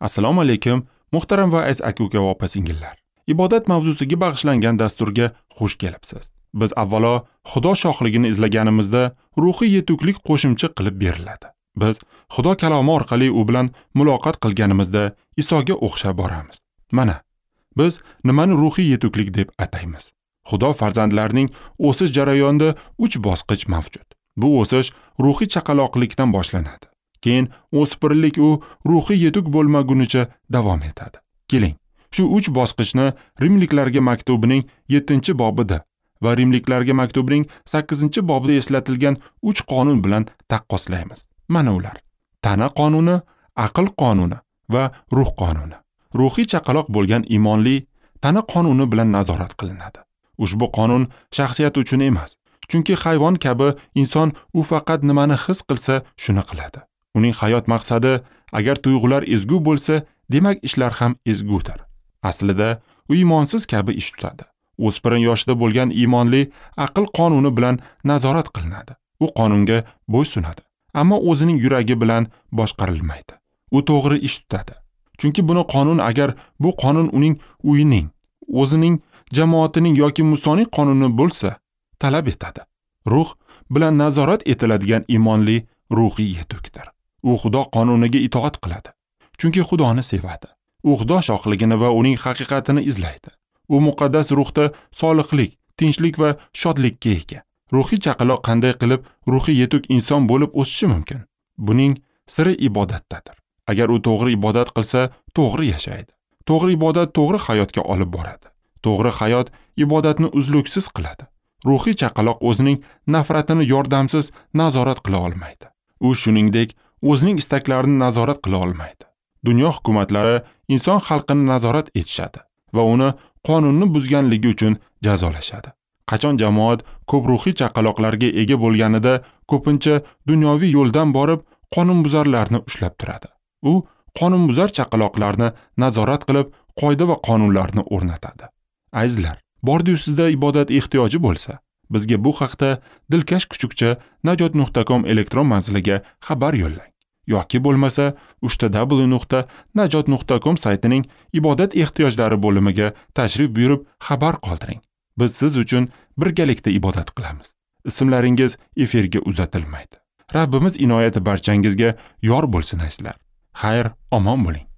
Assalomu alaykum, muhtaram va aziz aka-uka va opa-singillar. Ibodat mavzusiga bag'ishlangan dasturga xush kelibsiz. Biz avvalo Xudo shohligini izlaganimizda ruhiy yetuklik qo'shimcha qilib beriladi. Biz Xudo kalomi orqali u bilan muloqot qilganimizda Isoga o'xshab boramiz. Mana, biz nimani ruhiy yetuklik deb ataymiz? Xudo farzandlarining o'sish jarayonida 3 bosqich mavjud. Bu o'sish ruhiy chaqaloqlikdan boshlanadi. Keyin o'spirinlik u ruhiy yetuk bo'lmagunicha davom etadi. Keling, shu 3 bosqichni Rimliklarga maktubining 7-bobida va Rimliklarga maktubining 8-bobida eslatilgan 3 qonun bilan taqqoslaymiz. Mana ular: tana qonuni, aql qonuni va ruh qonuni. Ruhiy chaqaloq bo'lgan iymonli tana qonuni bilan nazorat qilinadi. Ushbu qonun shaxsiyat uchun emas, chunki hayvon kabi inson u faqat nimani his qilsa, shuni qiladi. Uning hayot maqsadi agar tuyg'ular ezgu bo'lsa, demak ishlar ham ezgudir. Aslida u iymonsiz kabi ish tutadi. O'spirin yoshida bo'lgan iymonli aql qonuni bilan nazorat qilinadi. U qonunga bo'ysunadi, ammo o'zining yuragi bilan boshqarilmaydi. U to'g'ri ish tutadi. Chunki buni qonun, agar bu qonun uning uyining, o'zining jamoatining yoki Musoning qonuni bo'lsa, talab etadi. Ruh bilan nazorat etiladigan iymonli ruhiy yetukdir. U Xudo qonuniga itoat qiladi, chunki Xudoni sevadi. U Xudo shohligini va uning haqiqatini izlaydi. U muqaddas ruhda solihlik, tinchlik va shodlikka ega. Ruhiy chaqaloq qanday qilib ruhiy yetuk inson bo'lib o'sishi mumkin? Buning siri ibodatdadir. Agar u to'g'ri ibodat qilsa, to'g'ri yashaydi. To'g'ri ibodat to'g'ri hayotga olib boradi. To'g'ri hayot ibodatni uzluksiz qiladi. Ruhiy chaqaloq o'zining nafratini yordamsiz nazorat qila olmaydi. U shuningdek o'zining istaklarini nazorat qila olmaydi. Dunyo hukumatlari inson xalqini nazorat etishadi va uni qonunni buzganligi uchun jazolashadi. Qachon jamoat ko'p ruhiy chaqaloqlarga ega bo'lganida ko'pincha dunyoviy yo'ldan borib qonunbuzarlarni ushlab turadi. U qonunbuzar chaqaloqlarni nazorat qilib, qoida va qonunlarni o'rnatadi. Azizlar, bordi-yu sizda ibodat ehtiyoji bo'lsa, bizga bu haqda dilkash kuchukcha najot.com elektron manziliga xabar yo'llang. Yoki bo'lmasa www.najot.com saytining ibodat ehtiyojlari bo'limiga tashrif buyurib xabar qoldiring. Biz siz uchun birgalikda ibodat qilamiz. Ismlaringiz efirga uzatilmaydi. Rabbimiz inoyati barchangizga yor bo'lsin azizlar. Xayr, omon bo'ling.